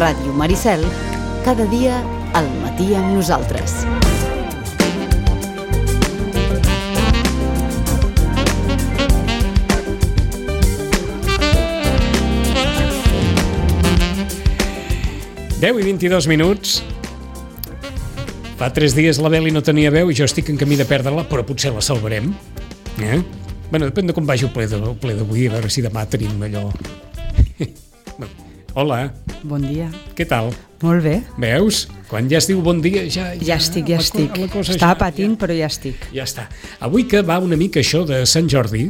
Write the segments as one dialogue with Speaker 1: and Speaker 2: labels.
Speaker 1: Ràdio Maricel, cada dia al matí amb nosaltres.
Speaker 2: Deu i 22 minuts. Fa 3 dies la Beli no tenia veu i jo estic en camí de perdre-la, però potser la salvarem. Bueno, depèn de com vagi el ple d'avui, a veure si demà tenim allò... Hola.
Speaker 3: Bon dia.
Speaker 2: Què tal?
Speaker 3: Molt bé.
Speaker 2: Veus? Quan ja es diu bon dia, ja
Speaker 3: estic. Estava patint, però ja estic.
Speaker 2: Ja està. Avui que va una mica això de Sant Jordi,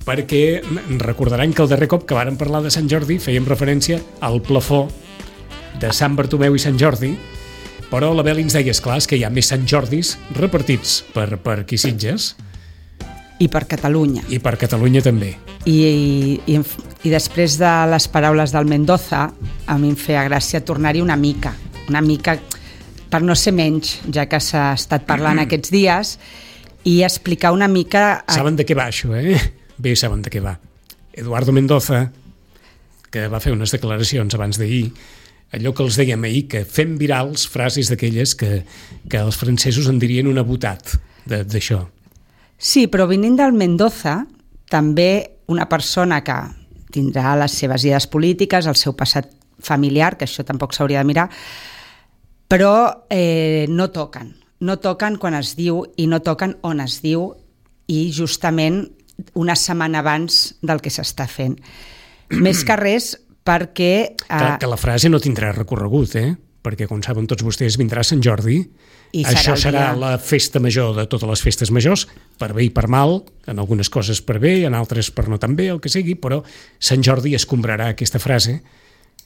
Speaker 2: perquè recordaran que el darrer cop que vàrem parlar de Sant Jordi fèiem referència al plafó de Sant Bartomeu i Sant Jordi, però la Beli ens deia, esclar, que hi ha més Sant Jordis repartits per aquí Sitges.
Speaker 3: I per Catalunya.
Speaker 2: I per Catalunya també.
Speaker 3: I després de les paraules del Mendoza, a mi em feia gràcia tornar-hi una mica, per no ser menys, ja que s'ha estat parlant aquests dies, i explicar una mica...
Speaker 2: Saben de què va això, eh? Bé, saben de què va. Eduardo Mendoza, que va fer unes declaracions abans d'ahir, allò que els dèiem ahir, que fem virals frases d'aquelles que els francesos en dirien una botat d'això.
Speaker 3: Sí, però venint del Mendoza, també una persona que tindrà les seves idees polítiques, el seu passat familiar, que això tampoc s'hauria de mirar, però no toquen quan es diu i no toquen on es diu, i justament una setmana abans del que s'està fent. Més que res perquè...
Speaker 2: Que la frase no tindrà recorregut, perquè, com saben tots vostès, vindrà Sant Jordi, i això serà la festa major de totes les festes majors, per bé i per mal, en algunes coses per bé, en altres per no tan bé, el que sigui, però Sant Jordi escombrarà aquesta frase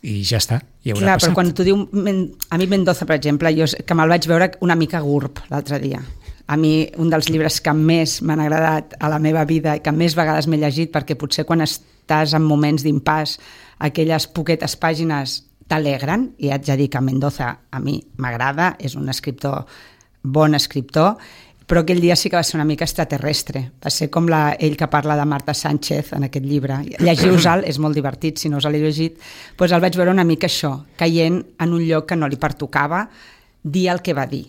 Speaker 2: i ja està, ja haurà passat.
Speaker 3: Però quan tu diu a mi Mendoza, per exemple, jo que me'l vaig veure una mica gurb l'altre dia. A mi, un dels llibres que més m'han agradat a la meva vida i que més vegades m'he llegit, perquè potser quan estàs en moments d'impàs, aquelles poquetes pàgines t'alegren, i haig de dir que Mendoza a mi m'agrada, és un escriptor, bon escriptor, però aquell dia sí que va ser una mica extraterrestre. Va ser com ell que parla de Marta Sánchez en aquest llibre. Llegiu-se'l, és molt divertit, si no us l'he llegit. Doncs el vaig veure una mica això, caient en un lloc que no li pertocava dir el que va dir.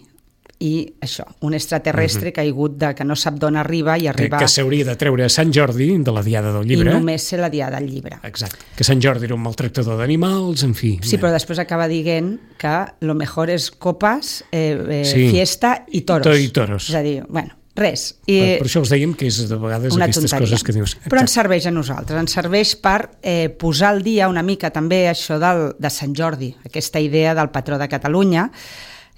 Speaker 3: I això, un extraterrestre caigut de que no sap d'on arriba i arriba...
Speaker 2: Que s'hauria de treure Sant Jordi de la Diada del Llibre.
Speaker 3: I només ser la Diada del Llibre.
Speaker 2: Exacte. Que Sant Jordi era un maltractador d'animals, en fi.
Speaker 3: Sí, però després acaba dient que lo mejor és copas, fiesta i toros.
Speaker 2: I toros.
Speaker 3: És a dir, bueno, res.
Speaker 2: Per això us dèiem que és de vegades aquestes coses que dius...
Speaker 3: Però ens serveix a nosaltres, ens serveix per posar al dia una mica també això de Sant Jordi, aquesta idea del patró de Catalunya,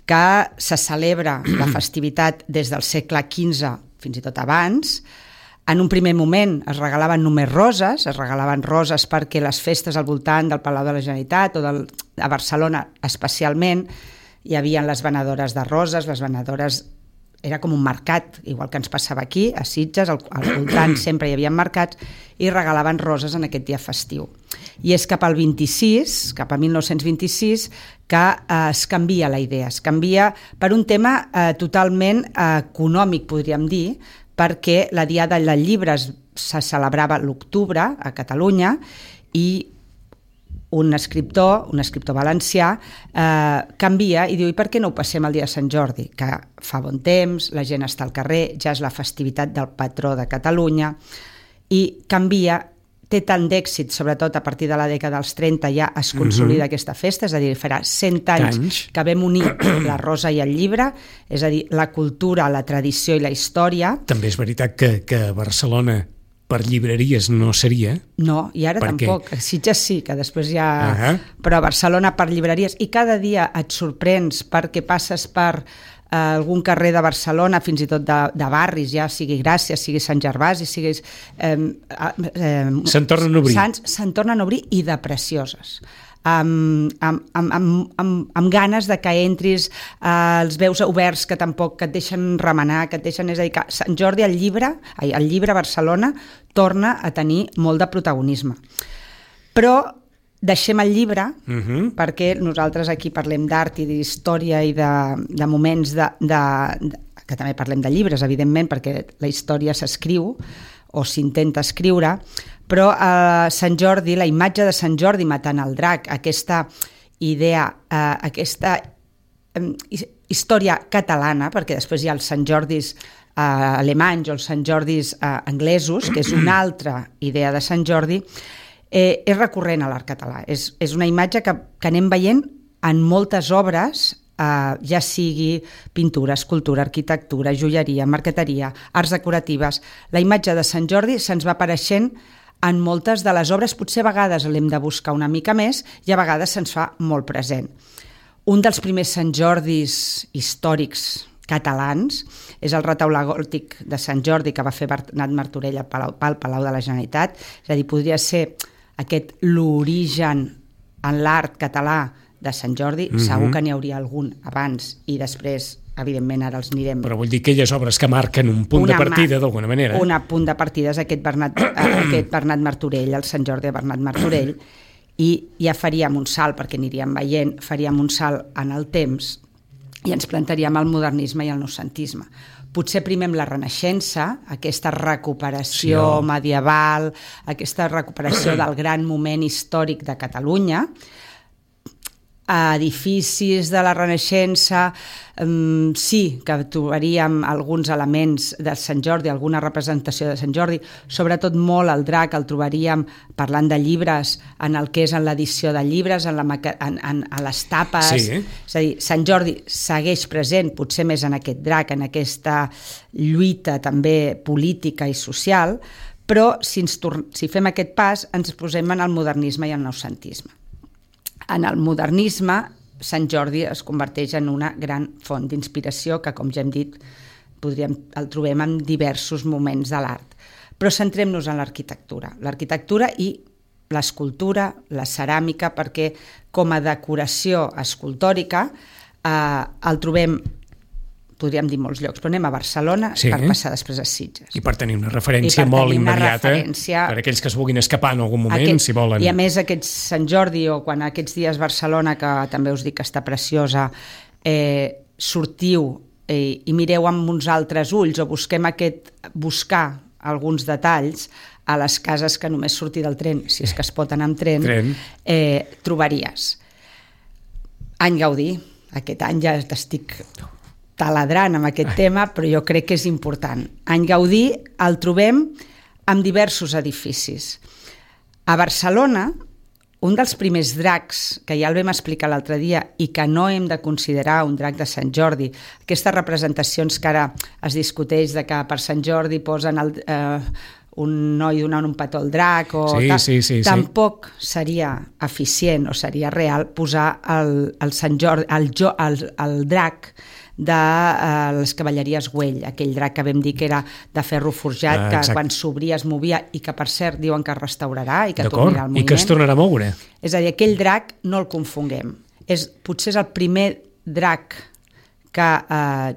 Speaker 3: que se celebra la festivitat des del segle XV fins i tot abans. En un primer moment es regalaven només roses, perquè les festes al voltant del Palau de la Generalitat o a Barcelona especialment hi havia les venedores de roses, les venedores... Era com un mercat, igual que ens passava aquí, a Sitges, al voltant sempre hi havia mercats, i regalaven roses en aquest dia festiu. I és cap al 1926, que es canvia la idea. Es canvia per un tema totalment econòmic, podríem dir, perquè la Diada del Llibre se celebrava l'octubre a Catalunya i un escriptor valencià, canvia i diu, i per què no ho passem el dia de Sant Jordi? Que fa bon temps, la gent està al carrer, ja és la festivitat del patró de Catalunya, i canvia, té tant d'èxit, sobretot a partir de la dècada dels 30 ja es consolida aquesta festa, és a dir, farà 100 anys que vam unir la rosa i el llibre, és a dir, la cultura, la tradició i la història.
Speaker 2: També és veritat que Barcelona per llibreries no seria.
Speaker 3: No, i ara tampoc. Sitges sí, que després ja... Però a Barcelona per llibreries. I cada dia et sorprens perquè passes per algun carrer de Barcelona, fins i tot de barris, ja sigui Gràcia, sigui Sant Gervasi, sigui...
Speaker 2: Se'n tornen a obrir.
Speaker 3: Se'n tornen a obrir i de precioses. Amb ganes de que entris, els veus oberts que tampoc que et deixen remenar, que et deixen... És a dir, que Sant Jordi, el llibre a Barcelona, torna a tenir molt de protagonisme. Però deixem el llibre, perquè nosaltres aquí parlem d'art i d'història i de moments que també parlem de llibres, evidentment, perquè la història s'escriu o s'intenta escriure, però a Sant Jordi, la imatge de Sant Jordi matant el drac, aquesta idea, aquesta història catalana, perquè després hi ha els Sant Jordis alemanys o els Sant Jordis anglesos, que és una altra idea de Sant Jordi, és recurrent a l'art català. És una imatge que anem veient en moltes obres, ja sigui pintura, escultura, arquitectura, joieria, marqueteria, arts decoratives. La imatge de Sant Jordi se'ns va apareixent en moltes de les obres, potser a vegades l'hem de buscar una mica més i a vegades se'ns fa molt present. Un dels primers Sant Jordis històrics catalans és el retaule gòtic de Sant Jordi que va fer Bernat Martorell pel Palau de la Generalitat, és a dir, podria ser l'origen en l'art català de Sant Jordi, segur que n'hi hauria algun abans i després, evidentment, ara els anirem...
Speaker 2: Però vull dir aquelles obres que marquen un punt de partida, d'alguna manera.
Speaker 3: Un punt de partida és aquest Bernat Martorell, el Sant Jordi de Bernat Martorell, i ja faríem un salt, perquè aniríem veient, faríem un salt en el temps i ens plantaríem al modernisme i al noucentisme. Potser primer amb la Renaixença, aquesta recuperació medieval, aquesta recuperació del gran moment històric de Catalunya, edificis de la Renaixença, sí que trobaríem alguns elements de Sant Jordi, alguna representació de Sant Jordi, sobretot molt el drac el trobaríem parlant de llibres, en el que és en l'edició de llibres, en les tapes, és a dir, Sant Jordi segueix present, potser més en aquest drac, en aquesta lluita també política i social, però si fem aquest pas ens posem en el modernisme i el noucentisme. En el modernisme, Sant Jordi es converteix en una gran font d'inspiració que, com ja hem dit, el trobem en diversos moments de l'art. Però centrem-nos en l'arquitectura i l'escultura, la ceràmica, perquè com a decoració escultòrica el trobem, podríem dir molts llocs, però anem a Barcelona per passar després a Sitges.
Speaker 2: I per tenir una referència molt immediata per aquells que es vulguin escapar en algun moment, si volen.
Speaker 3: I a més aquest Sant Jordi, o quan aquests dies Barcelona, que també us dic que està preciosa, sortiu i mireu amb uns altres ulls, o buscar alguns detalls a les cases que només sortir del tren, si és que es pot anar amb tren. Trobaries. Any Gaudí, aquest any ja t'estic taladrant amb aquest tema, però jo crec que és important. Any Gaudí el trobem en diversos edificis. A Barcelona, un dels primers dracs, que ja el vam explicar l'altre dia, i que no hem de considerar un drac de Sant Jordi, aquestes representacions que ara es discuteix de que per Sant Jordi posen un noi donant un petó al drac, tampoc seria eficient o seria real posar el Sant Jordi, el drac de les cavalleries Güell, aquell drac que vam dir que era de ferro forjat, que quan s'obria es movia i que, per cert, diuen que es restaurarà i que tornarà al moviment.
Speaker 2: I que es tornarà a moure.
Speaker 3: És a dir, aquell drac no el confonguem. Potser és el primer drac que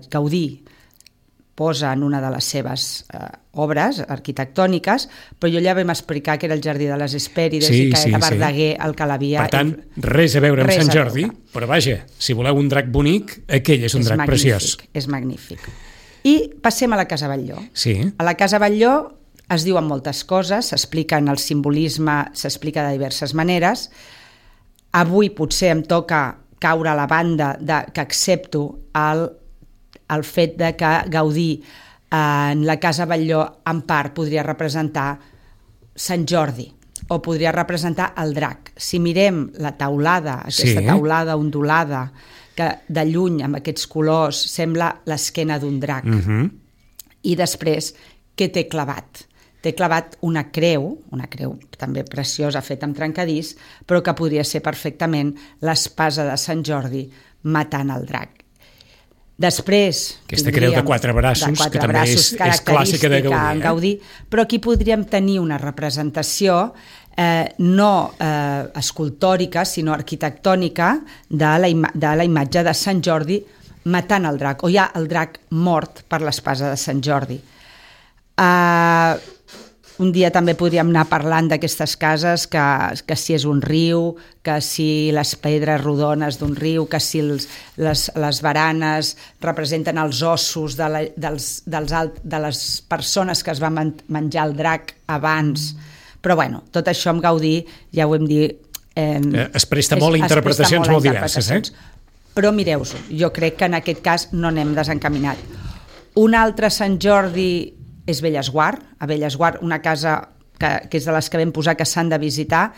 Speaker 3: Gaudí posa en una de les seves obres arquitectòniques, però jo ja vam explicar que era el Jardí de les Hespèrides i que era Verdaguer el que l'havia...
Speaker 2: Per tant, res a veure amb Sant Jordi, però vaja, si voleu un drac bonic, aquell és un drac preciós.
Speaker 3: És magnífic. I passem a la Casa Batlló. A la Casa Batlló es diuen moltes coses, s'explica en el simbolisme, s'explica de diverses maneres. Avui potser em toca caure a la banda que accepto el fet de que Gaudí en la Casa Batlló en part podria representar Sant Jordi o podria representar el drac. Si mirem la teulada, aquesta teulada ondulada que de lluny amb aquests colors sembla l'esquena d'un drac. I després, què té clavat? Té clavat una creu també preciosa feta amb trencadís, però que podria ser perfectament l'espasa de Sant Jordi matant el drac. Després...
Speaker 2: Aquesta creu de quatre braços, que també és clàssica de
Speaker 3: Gaudí. Però aquí podríem tenir una representació no escultòrica, sinó arquitectònica de la imatge de Sant Jordi matant el drac, o ja el drac mort per l'espasa de Sant Jordi. Un dia també podríem anar parlant d'aquestes cases, que si és un riu, que si les pedres rodones d'un riu, que si les baranes representen els ossos de les persones que es van menjar el drac abans. Però bueno, tot això amb Gaudí, ja ho hem dit,
Speaker 2: Es presta molt a interpretacions molt diverses,
Speaker 3: Però mireu-ho, jo crec que en aquest cas no n'hem desencaminat. Un altre Sant Jordi és Bellesguard, a Bellesguard, una casa que és de les que vam posar que s'han de visitar.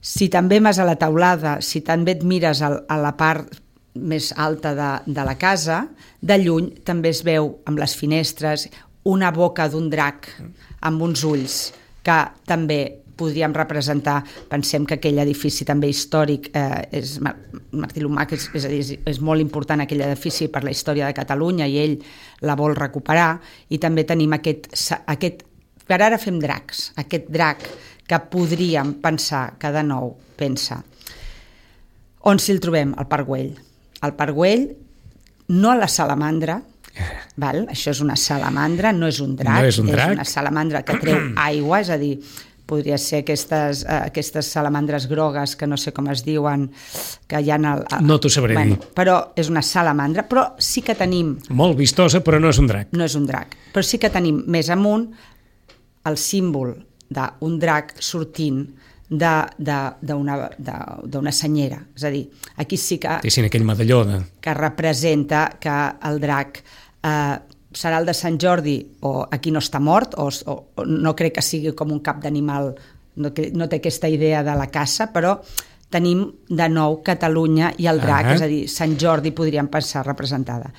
Speaker 3: Si també vas a la teulada, si també et mires a la part més alta de la casa, de lluny també es veu amb les finestres una boca d'un drac amb uns ulls que també podríem representar. Pensem que aquell edifici també històric és Martí Lumac, és molt important aquell edifici per la història de Catalunya i ell la vol recuperar, i també tenim aquest per ara fem dracs, aquest drac que podríem pensar que de nou pensa. On si el trobem? Al Parc Güell. Al Parc Güell, no a la salamandra, val? Això és una salamandra, no és un drac, és una salamandra que treu aigua, és a dir, podria ser aquestes salamandres grogues que no sé com es diuen, que hi ha
Speaker 2: no t'ho sabré dir.
Speaker 3: Però és una salamandra, però sí que tenim...
Speaker 2: Molt vistosa, però no és un drac.
Speaker 3: No és un drac, però sí que tenim més amunt el símbol d'un drac sortint d'una senyera. És a dir, aquí sí que...
Speaker 2: Té aquell medalló
Speaker 3: que representa que el drac serà el de Sant Jordi, o aquí no està mort, o no crec que sigui com un cap d'animal, no té aquesta idea de la caça, però tenim de nou Catalunya i el drac, és a dir, Sant Jordi podríem pensar representada.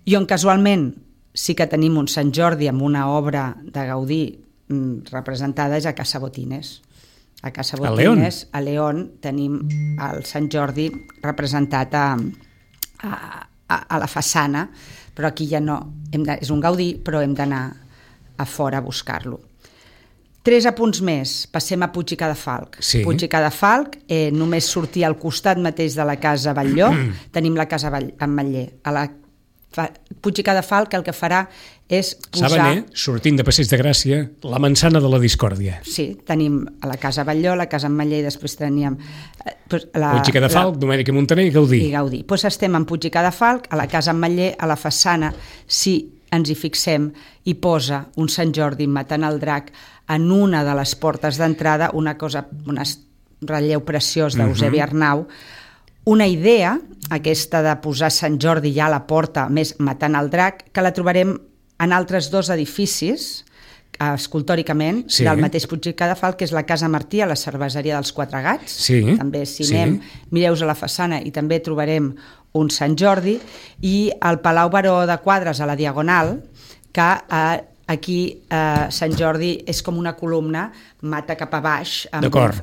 Speaker 3: I on casualment sí que tenim un Sant Jordi amb una obra de Gaudí representada és a Casa Botines. A Casa Botines, a León, tenim el Sant Jordi representat a la façana, però aquí ja no, és un Gaudí, però hem d'anar a fora a buscar-lo. 3 apunts més, passem a Puig i Cadafalch.
Speaker 2: Sí.
Speaker 3: Puig i Cadafalch, només sortir al costat mateix de la Casa Batlló, tenim la Casa Ametller. Puig i Cadafalch el que farà és posar...
Speaker 2: Saben, sortint de Passeig de Gràcia, la manzana de la discòrdia.
Speaker 3: Sí, tenim a la Casa Batlló, la Casa Ametller, i després teníem...
Speaker 2: Puig i Cadafalch, Domènech i Montaner i Gaudí.
Speaker 3: I Gaudí. Doncs estem en Puig i Cadafalch, a la Casa Ametller, a la façana, si ens hi fixem, hi posa un Sant Jordi matant el drac en una de les portes d'entrada, un relleu preciós d'Eusebi Arnau, una idea, aquesta de posar Sant Jordi ja a la porta, més matant el drac, que la trobarem en altres 2 edificis, escultòricament, del mateix Puig i Cadafalch, que és la Casa Martí, a la cerveseria dels Quatre Gats. També, si anem, mireu-vos a la façana, i també trobarem un Sant Jordi, i el Palau Baró de Quadres, a la Diagonal, que aquí Sant Jordi és com una columna, mata cap a baix.
Speaker 2: D'acord.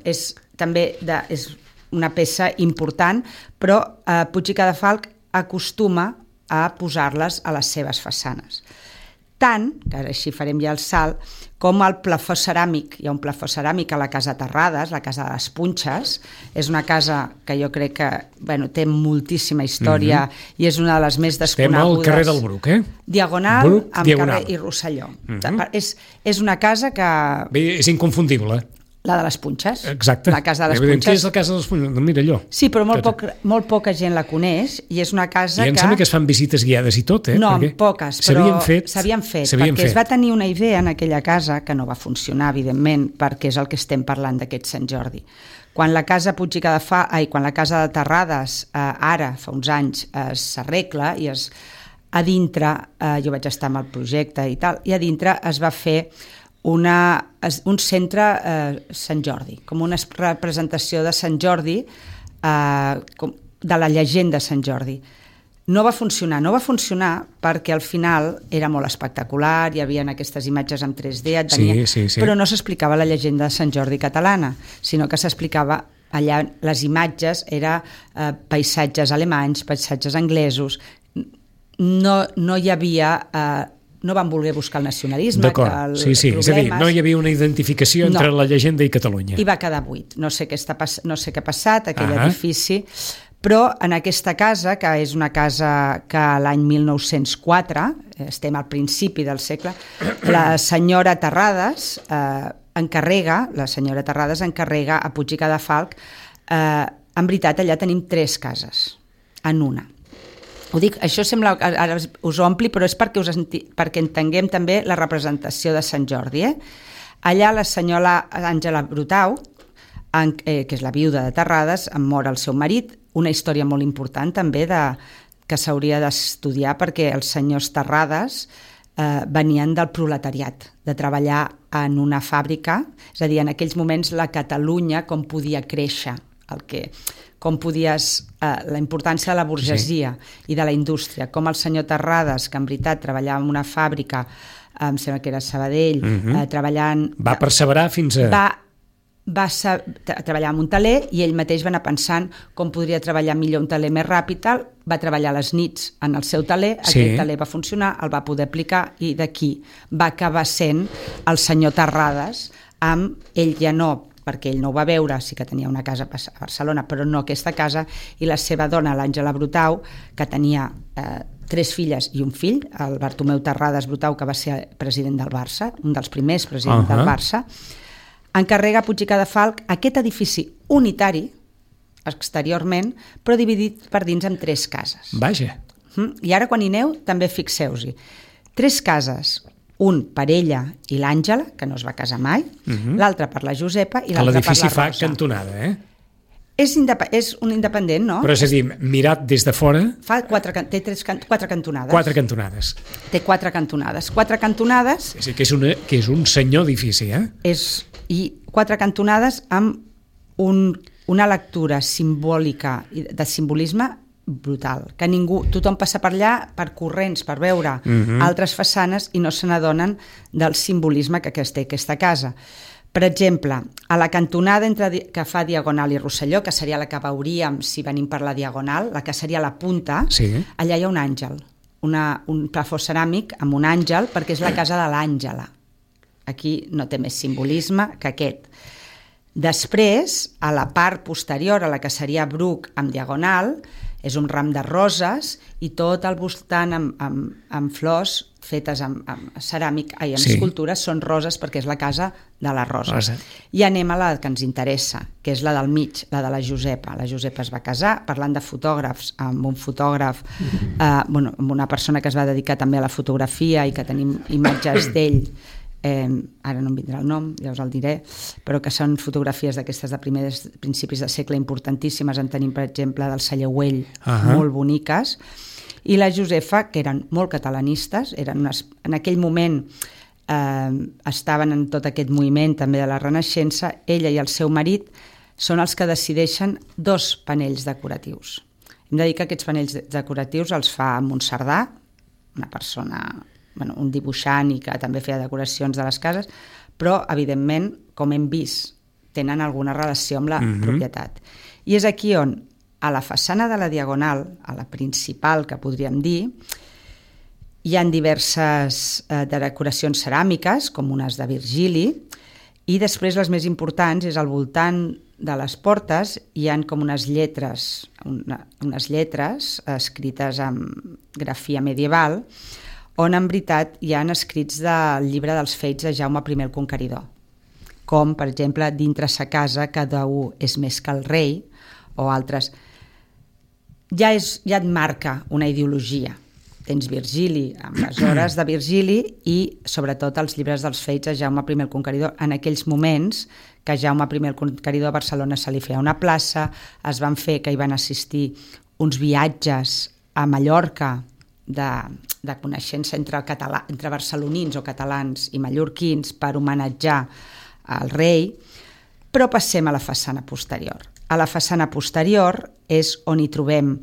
Speaker 3: També és una peça important, però Puig i Cadafalch acostuma a posar-les a les seves façanes. Tant, que ara així farem ja el salt, com el plafó ceràmic. Hi ha un plafó ceràmic a la Casa Terrades, la Casa de les Punxes. És una casa que jo crec que té moltíssima història i és una de les més desconegudes.
Speaker 2: Estem al carrer del Bruc,
Speaker 3: Diagonal, amb carrer i Rosselló. És una casa que...
Speaker 2: Bé, és inconfundible.
Speaker 3: La de les Punxes.
Speaker 2: Exacte.
Speaker 3: La Casa de les Punxes.
Speaker 2: Què és la Casa de les Punxes? No, mira allò.
Speaker 3: Sí, però molt poca gent la coneix, i és una casa que...
Speaker 2: I em sembla que es fan visites guiades i tot,
Speaker 3: No, poques, però s'havien fet, perquè es va tenir una idea en aquella casa que no va funcionar, evidentment, perquè és el que estem parlant d'aquest Sant Jordi. Quan la Casa Puig i quan la Casa de Terrades, ara, fa uns anys, s'arregla, i a dintre, jo vaig estar amb el projecte i tal, i a dintre es va fer un centre Sant Jordi, com una representació de Sant Jordi, de la llegenda Sant Jordi. No va funcionar perquè al final era molt espectacular, hi havia aquestes imatges en 3D, però no s'explicava la llegenda de Sant Jordi catalana, sinó que s'explicava allà, les imatges eren paisatges alemanys, paisatges anglesos, no hi havia... no van voler buscar el nacionalisme.
Speaker 2: D'acord, sí, és a dir, no hi havia una identificació entre la llegenda i Catalunya.
Speaker 3: I va quedar buit. No sé què ha passat, aquell edifici, però en aquesta casa, que és una casa que l'any 1904, estem al principi del segle, la senyora Terrades encarrega a Puig i Cadafalch, en veritat allà tenim 3 cases, en una. Ho dic, això sembla, ara us ompli, però és perquè entenguem també la representació de Sant Jordi. Allà la senyora Àngela Brutau que és la viuda de Terrades, mor el seu marit, una història molt important també que s'hauria d'estudiar perquè els senyors Terrades venien del proletariat, de treballar en una fàbrica, és a dir, en aquells moments la Catalunya com podia créixer, la importància de la burgesia i de la indústria, com el senyor Terrades, que en veritat treballava en una fàbrica, em sembla que era Sabadell, treballant...
Speaker 2: Va perseverar fins a...
Speaker 3: Va treballar en un taler i ell mateix va anar pensant com podria treballar millor un taler més ràpid, va treballar a les nits en el seu taler, aquell taler va funcionar, el va poder aplicar i d'aquí va acabar sent el senyor Terrades, amb ell ja no, perquè ell no ho va veure, sí que tenia una casa a Barcelona, però no aquesta casa, i la seva dona, l'Àngela Brutau, que tenia 3 filles i un fill, el Bartomeu Terrades Brutau, que va ser president del Barça, un dels primers presidents del Barça, encarrega a Puig i Cadafalch aquest edifici unitari, exteriorment, però dividit per dins en 3 cases.
Speaker 2: Vaja.
Speaker 3: I ara quan hi aneu, també fixeu-hi. 3 cases, un per ella i l'Àngela, que no es va casar mai, l'altre per la Josepa i l'altre per la Rosa.
Speaker 2: L'edifici fa cantonada,
Speaker 3: És un independent, no?
Speaker 2: Però és a dir, mirat des de fora...
Speaker 3: Té 4 cantonades.
Speaker 2: 4 cantonades.
Speaker 3: Té 4 cantonades. 4 cantonades...
Speaker 2: És a dir, que és un senyor edifici,
Speaker 3: I 4 cantonades amb una lectura simbòlica, de simbolisme brutal, que tothom passa per allà per corrents, per veure altres façanes i no se n'adonen del simbolisme que té aquesta casa. Per exemple, a la cantonada que fa Diagonal i Rosselló, que seria la que veuríem si venim per la Diagonal, la que seria la punta, allà hi ha un àngel, un plafó ceràmic amb un àngel, perquè és la casa de l'Àngela. Aquí no té més simbolisme que aquest. Després, a la part posterior, a la que seria Bruc amb Diagonal, és un ram de roses i tot al voltant amb flors fetes amb ceràmic, amb escultures, són roses perquè és la casa de les roses. I anem a la que ens interessa, que és la del mig, la de la Josepa. La Josepa es va casar, parlant de fotògrafs, amb un fotògraf, amb una persona que es va dedicar també a la fotografia i que tenim imatges d'ell, ara no em vindrà el nom, ja us el diré, però que són fotografies d'aquestes de principis de segle importantíssimes. En tenim, per exemple, del Salleuell, molt boniques, i la Josefa, que eren molt catalanistes, en aquell moment estaven en tot aquest moviment també de la Renaixença. Ella i el seu marit són els que decideixen 2 panells decoratius. Hem de dir que aquests panells decoratius els fa Montserdà, una persona... un dibuixant i que també feia decoracions de les cases, però, evidentment, com hem vist, tenen alguna relació amb la propietat. I és aquí on, a la façana de la Diagonal, a la principal, que podríem dir, hi ha diverses decoracions ceràmiques, com unes de Virgili, i després les més importants és al voltant de les portes hi ha com unes lletres escrites amb grafia medieval, on en veritat hi ha escrits del llibre dels fets de Jaume I el Conqueridor, com, per exemple, dintre sa casa cada un és més que el rei, o altres. Ja et marca una ideologia. Tens Virgili, amb les hores de Virgili, i sobretot els llibres dels fets de Jaume I el Conqueridor. En aquells moments que Jaume I el Conqueridor a Barcelona se li feia una plaça, es van fer que hi van assistir uns viatges a Mallorca, de coneixença entre barcelonins o catalans i mallorquins per homenatjar al rei, però passem a la façana posterior. A la façana posterior és on hi trobem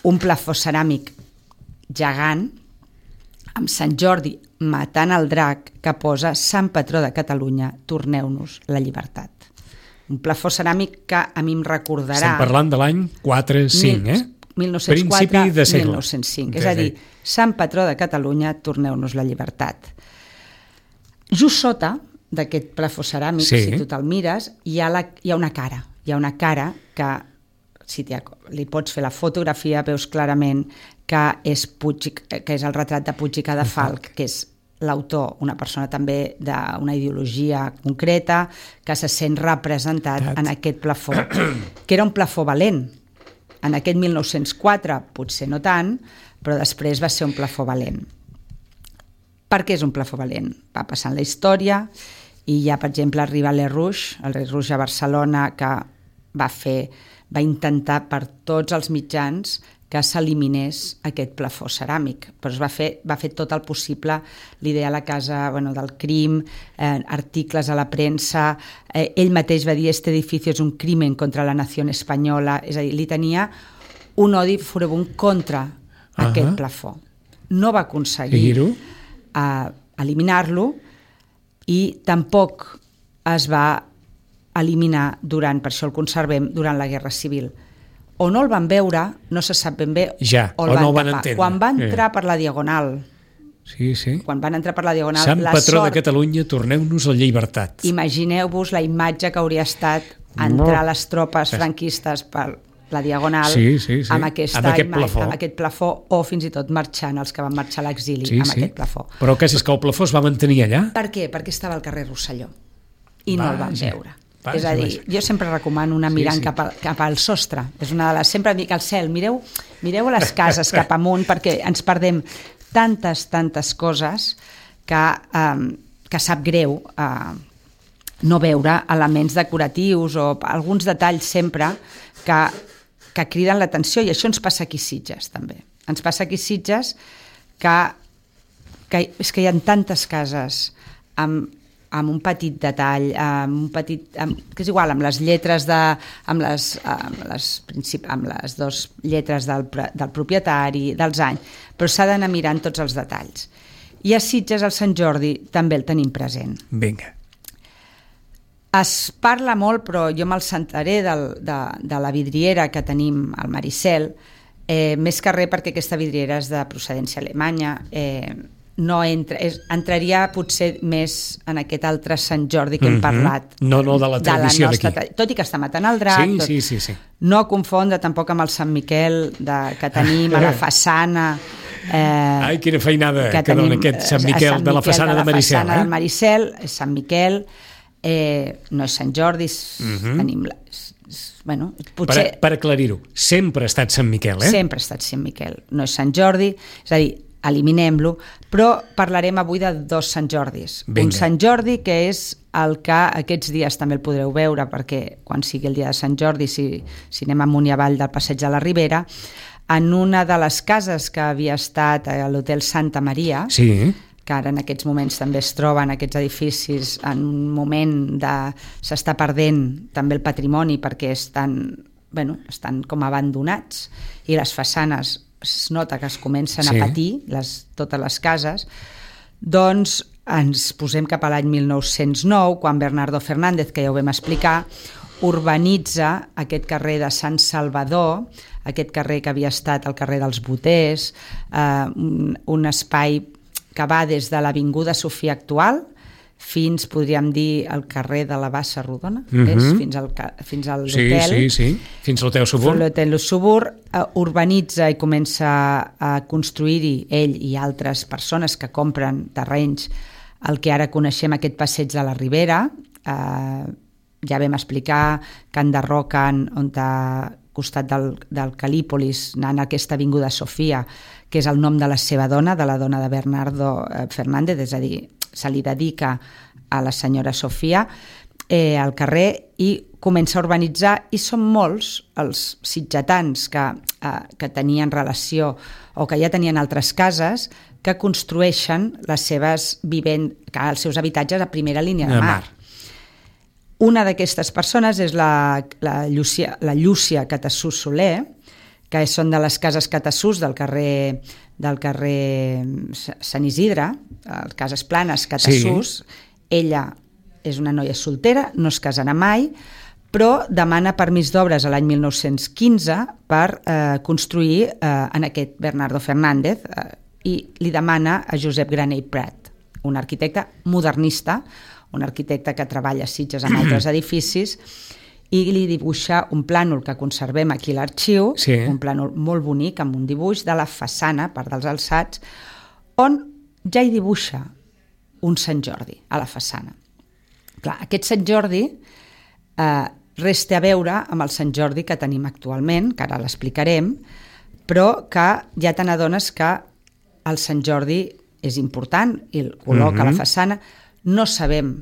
Speaker 3: un plafó ceràmic gegant amb Sant Jordi matant el drac que posa Sant Patró de Catalunya, torneu-nos la llibertat. Un plafó ceràmic que a mi em recordarà...
Speaker 2: Estem parlant de l'any 4-5,
Speaker 3: 1904-1905. És a dir, Sant Patró de Catalunya, torneu-nos la llibertat. Just sota d'aquest plafó ceràmic, si tu te'l mires, hi ha una cara. Hi ha una cara que, si li pots fer la fotografia, veus clarament que és el retrat de Puig i Cadafalch, que és l'autor, una persona també d'una ideologia concreta, que se sent representat en aquest plafó, que era un plafó valent. En aquest 1904 potser no tant, però després va ser un plafó valent. Per què és un plafó valent? Va passant la història i hi ha, per exemple, arriba el Rei Rouge a Barcelona, que va intentar per tots els mitjans que s'eliminés aquest plafó ceràmic, però va fer tot el possible, l'idea a la casa del crim, articles a la premsa, ell mateix va dir este edifici és un crimen contra la nació espanyola, és a dir, li tenia un odi furibund contra aquest plafó. No va aconseguir eliminar-lo i tampoc es va eliminar per això el conservem, durant la Guerra Civil. O no el van veure, no se sap ben bé,
Speaker 2: o no el van entendre.
Speaker 3: Quan va entrar per la Diagonal, quan van entrar per la Diagonal,
Speaker 2: Sant patró de Catalunya, torneu-nos la llibertat.
Speaker 3: Imagineu-vos la imatge que hauria estat entrar les tropes franquistes per la Diagonal amb aquest plafó, o fins i tot marxant, els que van marxar a l'exili amb aquest plafó.
Speaker 2: Però és que el plafó es va mantenir allà?
Speaker 3: Per què? Perquè estava al carrer Rosselló i no el van veure. És a dir, jo sempre recomano anar mirant cap al sostre. És una de les... Sempre dic al cel, mireu a les cases cap amunt, perquè ens perdem tantes coses que sap greu no veure elements decoratius o alguns detalls sempre que criden l'atenció, i això ens passa aquí a Sitges també. Ens passa aquí a Sitges que és que hi ha tantes cases amb un petit detall, que és igual, amb les lletres amb les dues lletres del propietari, dels anys, però s'ha d'anar mirant tots els detalls. I a Sitges el Sant Jordi també el tenim present.
Speaker 2: Vinga.
Speaker 3: Es parla molt, però jo me'l sentaré de la vidriera que tenim al Maricel, més que res perquè aquesta vidriera és de procedència alemanya, no entraria potser més en aquest altre Sant Jordi que hem parlat.
Speaker 2: No de la tradició d'aquí.
Speaker 3: Tot i que està matant el drac.
Speaker 2: Sí.
Speaker 3: No confondre tampoc amb el Sant Miquel que tenim a la façana.
Speaker 2: Ai, quina feinada que dona aquest Sant Miquel de la façana de Maricel.
Speaker 3: La façana del Maricel, és Sant Miquel, no és Sant Jordi, tenim... Bueno, potser...
Speaker 2: Per aclarir-ho, sempre ha estat Sant Miquel,
Speaker 3: Sempre ha estat Sant Miquel, no és Sant Jordi, és a dir, eliminem-lo, però parlarem avui de dos Sant Jordis.
Speaker 2: Vinga.
Speaker 3: Un Sant Jordi que és el que aquests dies també el podreu veure, perquè quan sigui el dia de Sant Jordi, si anem amunt i avall del Passeig de la Ribera, en una de les cases que havia estat a l'Hotel Santa Maria, que ara en aquests moments també es troben aquests edificis en un moment s'està perdent també el patrimoni perquè estan com abandonats i les façanes es nota que es comencen a patir totes les cases, doncs ens posem cap a l'any 1909, quan Bernardo Fernández, que ja ho vam explicar, urbanitza aquest carrer de Sant Salvador, aquest carrer que havia estat el carrer dels Boters, un espai que va des de l'Avinguda Sofia actual fins, podríem dir, al carrer de la Bassa Rodona, fins al l'hotel.
Speaker 2: Fins l'hotel Subur.
Speaker 3: L'hotel Subur urbanitza i comença a construir-hi, ell i altres persones que compren terrenys, el que ara coneixem aquest passeig de la Ribera. Ja vam explicar que enderroquen al costat del Calípolis, anant a aquesta avinguda Sofia, que és el nom de la seva dona, de la dona de Bernardo Fernández, és a dir, se li dedica a la senyora Sofia, al carrer, i comença a urbanitzar, i són molts els sitgetans que tenien relació o que ja tenien altres cases que construeixen els seus habitatges a primera línia de mar. Una d'aquestes persones és la Llúcia Catassús Soler, que són de les cases Catassús del carrer Sant Isidre, les cases planes Catassús. Ella és una noia soltera, no es casarà mai, però demana permís d'obres a l'any 1915 per construir en aquest Bernardo Fernández, i li demana a Josep Granell Prat, un arquitecte modernista, un arquitecte que treballa a Sitges amb altres edificis, i li dibuixa un plànol que conservem aquí a l'arxiu, un plànol molt bonic, amb un dibuix de la façana, part dels alçats, on ja hi dibuixa un Sant Jordi a la façana. Clar, aquest Sant Jordi resta a veure amb el Sant Jordi que tenim actualment, que ara l'explicarem, però que ja te n'adones que el Sant Jordi és important i el col·loca a la façana. No sabem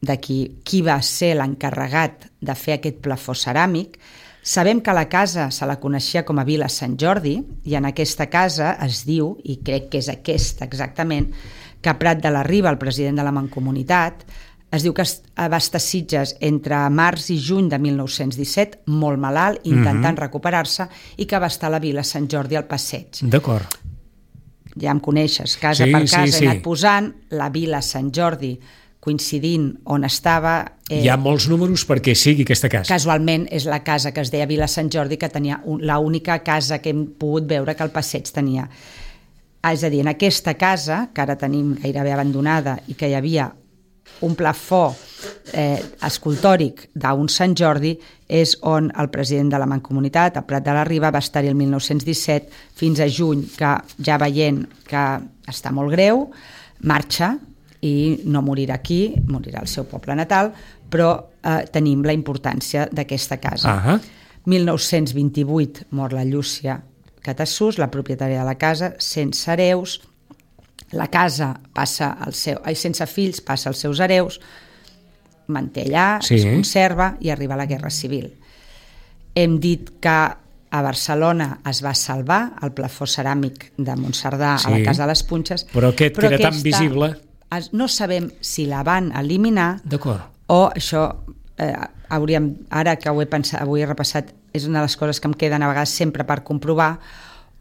Speaker 3: de qui va ser l'encarregat de fer aquest plafó ceràmic. Sabem que la casa se la coneixia com a Vila Sant Jordi, i en aquesta casa es diu, i crec que és aquesta exactament, que Prat de la Riba, el president de la Mancomunitat, es diu que va estar a Sitges entre març i juny de 1917, molt malalt, intentant recuperar-se, i que va estar a la Vila Sant Jordi al passeig.
Speaker 2: D'acord.
Speaker 3: Ja em coneixes, casa per casa he anat posant la Vila Sant Jordi, coincidint on estava...
Speaker 2: Hi ha molts números perquè sigui aquesta casa.
Speaker 3: Casualment és la casa que es deia Vila Sant Jordi, que tenia l'única casa que hem pogut veure que el passeig tenia. És a dir, en aquesta casa, que ara tenim gairebé abandonada, i que hi havia un plafó escultòric d'un Sant Jordi, és on el president de la Mancomunitat, el Prat de la Riba, va estar-hi el 1917 fins a juny, que ja veient que està molt greu, marxa i no morirà aquí, morirà al seu poble natal, però tenim la importància d'aquesta casa. 1928 mor la Llúcia Catassús, la propietària de la casa, sense hereus. La casa passa sense fills, passa als seus hereus, manté allà, es conserva i arriba a la Guerra Civil. Hem dit que a Barcelona es va salvar el plafó ceràmic de Montserdà a la Casa de les Punxes,
Speaker 2: però aquest que era tan visible...
Speaker 3: No sabem si la van eliminar o això, ara que ho he repassat, és una de les coses que em queden a vegades sempre per comprovar,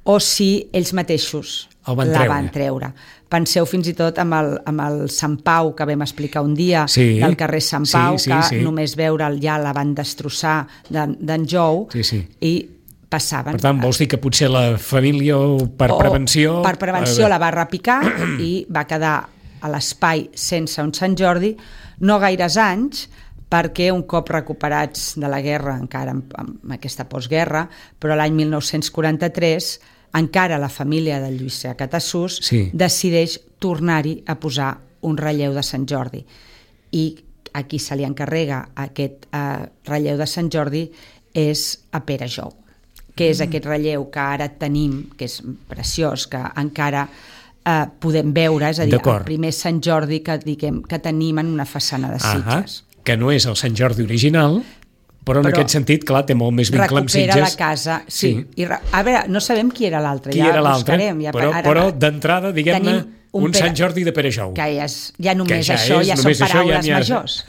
Speaker 3: o si ells mateixos la van treure. Penseu fins i tot amb el Sant Pau que vam explicar un dia, del carrer Sant Pau, que només veure'l ja la van destrossar d'en Jou, i passaven.
Speaker 2: Per tant, vols dir que potser la família per prevenció...
Speaker 3: Per prevenció la va repicar i va quedar a l'espai sense un Sant Jordi, no gaires anys, perquè un cop recuperats de la guerra, encara amb aquesta postguerra, però l'any 1943, encara la família de Lluís Catassús decideix tornar-hi a posar un relleu de Sant Jordi. I a qui se li encarrega aquest relleu de Sant Jordi és a Pere Jou, que és aquest relleu que ara tenim, que és preciós, que encara podem veure, és a dir, el primer Sant Jordi que tenim en una façana de Sitges.
Speaker 2: Que no és el Sant Jordi original, però en aquest sentit, clar, té molt més vincle amb Sitges.
Speaker 3: Recupera la casa, sí. A veure, no sabem qui era l'altre, ja buscarem.
Speaker 2: Però d'entrada, diguem-ne, un Sant Jordi de Pere Jou.
Speaker 3: Que ja només això, ja són paraules majors.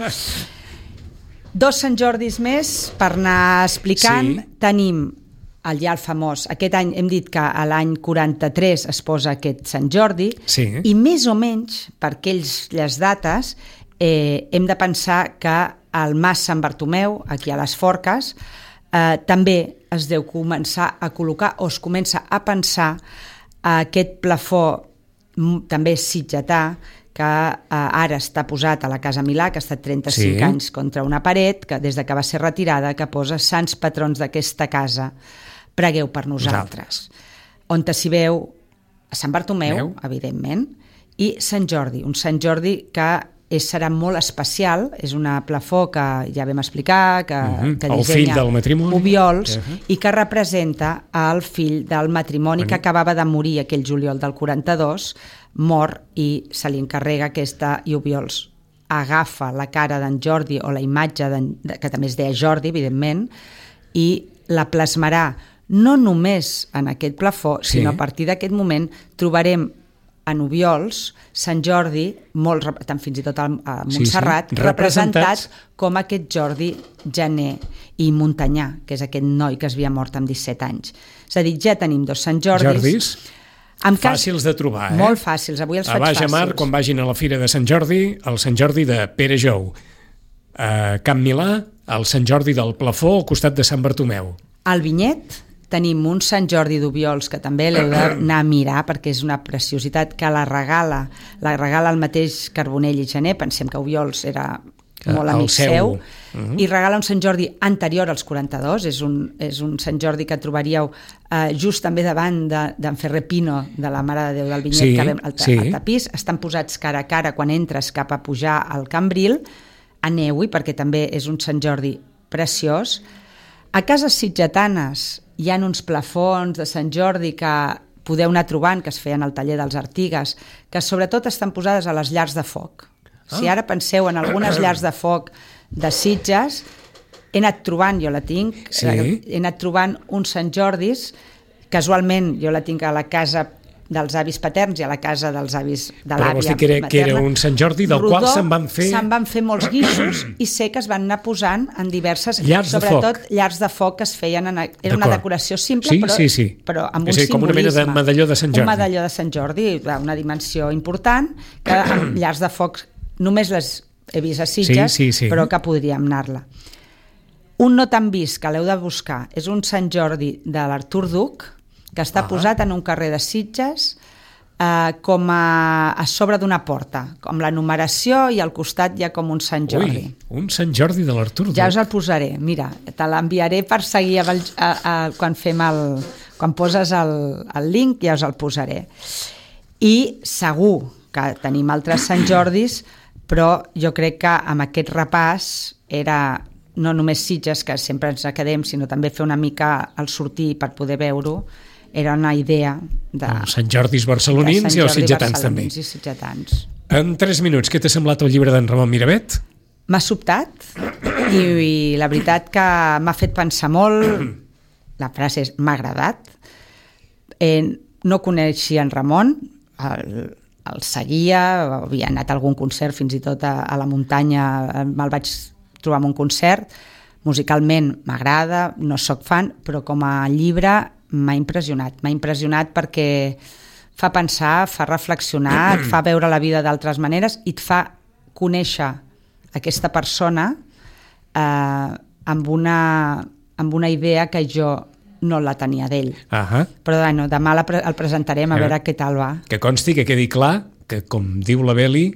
Speaker 3: 2 Sant Jordis més, per anar explicant, tenim el famós, aquest any hem dit que a l'any 43 es posa aquest Sant Jordi, i més o menys, per aquelles dates, hem de pensar que al Mas Sant Bartomeu, aquí a les Forques, també es deu començar a col·locar, o es comença a pensar aquest plafó també sitgetà, que ara està posat a la Casa Milà, que ha estat 35 anys contra una paret, que des que va ser retirada, que posa sants patrons d'aquesta casa, pregueu per nosaltres. On s'hi veu a Sant Bartomeu, evidentment, i Sant Jordi, un Sant Jordi que serà molt especial, és una plafó que ja vam explicar, que dissenya Obiols, i que representa el fill del matrimoni que acabava de morir aquell juliol del 42, mor, i se li encarrega aquesta, i Obiols agafa la cara d'en Jordi, o la imatge, que també es deia Jordi, evidentment, i la plasmarà no només en aquest plafó, sinó a partir d'aquest moment trobarem en Obiols, Sant Jordi, tant fins i tot a Montserrat, representats com aquest Jordi Janer i Montanyà, que és aquest noi que es havia mort amb 17 anys. És a dir, ja tenim 2 Sant Jordis.
Speaker 2: Fàcils de trobar,
Speaker 3: Molt fàcils, avui els faig fàcils.
Speaker 2: A Baix Mar, quan vagin a la Fira de Sant Jordi, el Sant Jordi de Pere Jou. A Camp Milà, el Sant Jordi del Plafó, al costat de Sant Bartomeu.
Speaker 3: Al Vinyet tenim un Sant Jordi d'Obiols, que també l'heu d'anar a mirar, perquè és una preciositat, que la regala el mateix Carbonell i Janer. Pensem que Obiols era molt amic seu, i regala un Sant Jordi anterior als 42, és un Sant Jordi que trobaríeu just també davant d'en Ferrer Pino, de la Mare de Déu del Vinyet, que vam al tapís. Estan posats cara a cara quan entres cap a pujar al Cambril. Aneu-hi, perquè també és un Sant Jordi preciós. A cases sitgetanes hi ha uns plafons de Sant Jordi que podeu anar trobant, que es feien al taller dels Artigues, que sobretot estan posades a les llars de foc. Si ara penseu en algunes llars de foc de Sitges, he anat trobant, jo la tinc, he anat trobant un Sant Jordis, casualment jo la tinc a la casa dels avis paterns i a la casa dels avis de l'àvia materna.
Speaker 2: Però vols dir que era un Sant Jordi del qual se'n van fer
Speaker 3: molts guixos i sé que es van anar posant en diverses...
Speaker 2: Llars de foc.
Speaker 3: Sobretot llars de foc que es feien... Era una decoració simple, però amb un simbolisme.
Speaker 2: Com una mena de medalló de Sant Jordi.
Speaker 3: Un medalló de Sant Jordi, una dimensió important, que amb llars de foc només les he vist a Sitges, però que podríem anar-la. Un no tan vist, que l'heu de buscar, és un Sant Jordi de l'Artur Duc, que està posat en un carrer de Sitges com a sobre d'una porta, com la numeració, i al costat hi ha com un Sant Jordi.
Speaker 2: Un Sant Jordi de l'Artur Duc.
Speaker 3: Ja us el posaré, mira, te l'enviaré per seguir quan poses el link, ja us el posaré. I segur que tenim altres Sant Jordis, però jo crec que amb aquest repàs era no només Sitges, que sempre ens quedem, sinó també fer una mica el sortir per poder veure-ho. Era una idea de...
Speaker 2: Sant Jordis barcelonins i els sitgetans també. En 3 minuts, què t'ha semblat el llibre d'en Ramon Miravet?
Speaker 3: M'ha sobtat i la veritat que m'ha fet pensar molt. La frase és m'ha agradat. No coneixia en Ramon, el seguia, havia anat a algun concert, fins i tot a la muntanya me'l vaig trobar en un concert. Musicalment m'agrada, no sóc fan, però com a llibre m'ha impressionat perquè fa pensar, fa reflexionar, et fa veure la vida d'altres maneres i et fa conèixer aquesta persona amb una idea que jo no la tenia d'ell. Però bueno, demà el presentarem a veure què tal va.
Speaker 2: Que consti, que quedi clar que, com diu la Beli,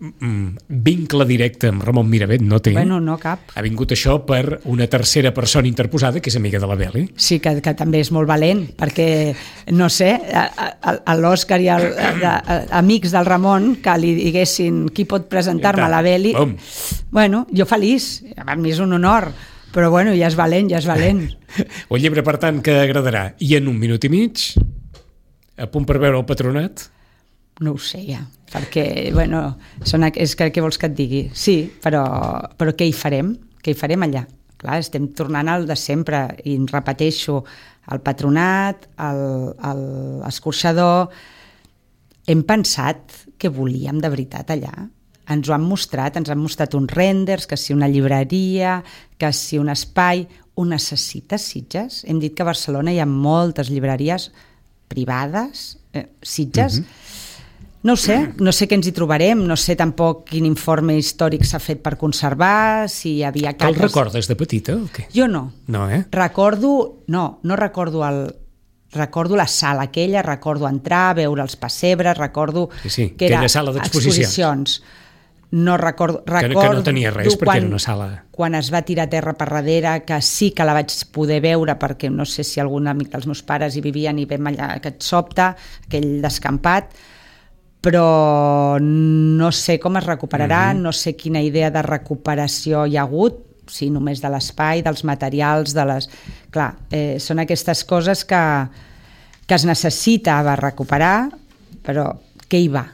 Speaker 2: vincle directe amb Ramon Miravet no té.
Speaker 3: Bueno, no cap.
Speaker 2: Ha vingut això per una tercera persona interposada que és amiga de la Beli.
Speaker 3: Sí, que també és molt valent, perquè, no sé, l'Òscar i amics del Ramon que li diguessin qui pot presentar-me a la Beli. Bueno, jo feliç, a mi és un honor, però bueno, ja és valent.
Speaker 2: Un llibre, per tant, que agradarà. I en 1 minut i mig, a punt per veure el Patronat?
Speaker 3: No ho sé ja, perquè, bueno, és que què vols que et digui? Sí, però què hi farem? Què hi farem allà? Clar, estem tornant al de sempre i em repeteixo, el Patronat, l'escorxador. Hem pensat què volíem de veritat allà. Ens han mostrat uns renders, que si una llibreria, que si un espai. Ho necessites, Sitges? Hem dit que a Barcelona hi ha moltes llibreries privades, Sitges. No sé què ens hi trobarem, no sé tampoc quin informe històric s'ha fet per conservar, si hi havia...
Speaker 2: Te'l recordes de petita o què?
Speaker 3: Jo no.
Speaker 2: No,
Speaker 3: No recordo recordo la sala aquella, recordo entrar, veure els pessebres, recordo que era
Speaker 2: sala d'exposicions.
Speaker 3: No recordo...
Speaker 2: Que no tenia res, perquè era una sala...
Speaker 3: Quan es va tirar a terra per darrere, que sí que la vaig poder veure, perquè no sé si algun amic dels meus pares hi vivien i vam allà aquest sobte, aquell descampat, però no sé com es recuperarà, no sé quina idea de recuperació hi ha hagut, si només de l'espai, dels materials, de les... Clar, són aquestes coses que es necessita recuperar, però què hi va?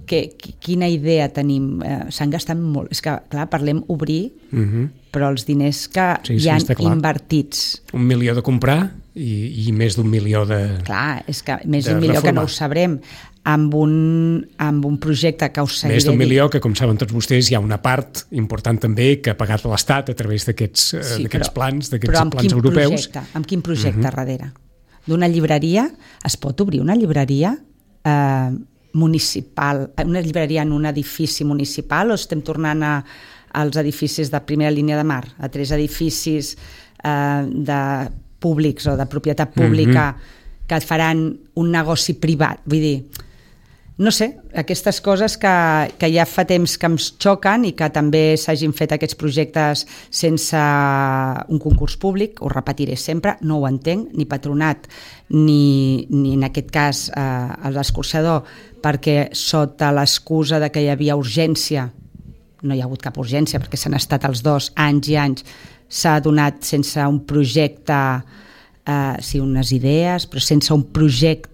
Speaker 3: Quina idea tenim? S'han gastat molt. És que, clar, parlem obrir, però els diners que hi han invertits.
Speaker 2: 1 milió de comprar i més d'1 milió de...
Speaker 3: Clar, és que més d'1 milió que no ho sabrem. Amb un projecte que us seguiré...
Speaker 2: Més d'1 milió que, com saben tots vostès, hi ha una part important també que ha pagat l'Estat a través d'aquests plans, plans europeus.
Speaker 3: Amb quin projecte darrere? D'una llibreria? Es pot obrir una llibreria municipal, una llibreria en un edifici municipal, o estem tornant als edificis de primera línia de mar, a 3 edificis de públics o de propietat pública que faran un negoci privat? Vull dir, no sé, aquestes coses que ja fa temps que em xoquen i que també s'hagin fet aquests projectes sense un concurs públic, ho repetiré sempre, no ho entenc, ni Patronat ni en aquest cas l'escorxador, perquè sota l'excusa de que hi havia urgència, no hi ha hagut cap urgència perquè s'han estat els 2 anys i anys, s'ha donat sense un projecte, sí, unes idees, però sense un projecte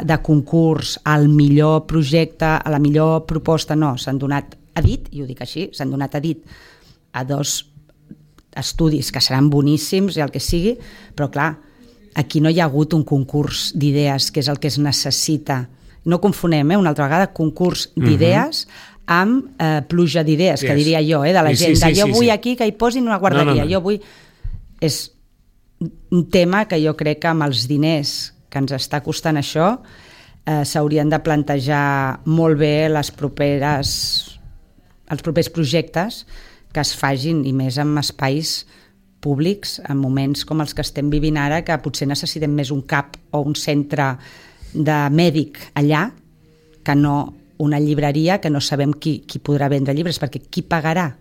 Speaker 3: de concurs al millor projecte, a la millor proposta, no, s'han donat a dit, i ho dic així, s'han donat a dit a 2 estudis que seran boníssims i el que sigui, però clar, aquí no hi ha hagut un concurs d'idees, que és el que es necessita. No confonem, una altra vegada, concurs d'idees amb pluja d'idees, que diria jo, de la gent, jo vull aquí que hi posin una guarderia, jo vull... És un tema que jo crec que amb els diners que ens està costant això s'haurien de plantejar molt bé els propers projectes que es fagin, i més en espais públics, en moments com els que estem vivint ara, que potser necessitem més un CAP o un centre de mèdic allà que no una llibreria, que no sabem qui podrà vendre llibres, perquè qui pagarà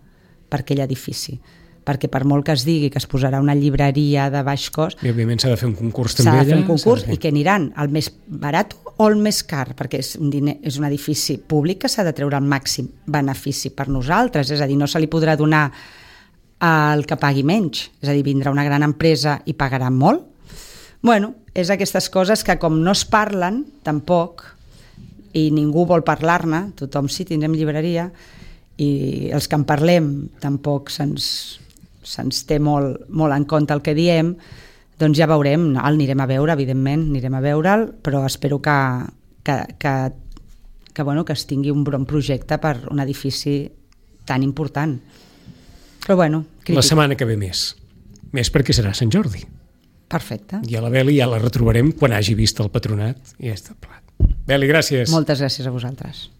Speaker 3: per aquell edifici? Perquè per molt que es digui que es posarà una llibreria de baix cost...
Speaker 2: I òbviament s'ha de fer un concurs també
Speaker 3: allà. S'ha de fer un concurs i que aniran al més barat o el més car, perquè és un edifici públic que s'ha de treure el màxim benefici per nosaltres, és a dir, no se li podrà donar al que pagui menys, és a dir, vindrà una gran empresa i pagarà molt. Bueno, és aquestes coses que com no es parlen tampoc, i ningú vol parlar-ne, tothom sí, tindrem llibreria, i els que en parlem tampoc se'ns té molt en compte el que diem, doncs ja veurem, el anirem a veure, evidentment, anirem a veure'l, però espero que es tingui un bon projecte per un edifici tan important. Però bueno, crític.
Speaker 2: La setmana que ve més perquè serà Sant Jordi.
Speaker 3: Perfecte.
Speaker 2: I a la Beli ja la retrobarem quan hagi vist el Patronat i ja està plat. Beli, gràcies.
Speaker 3: Moltes gràcies a vosaltres.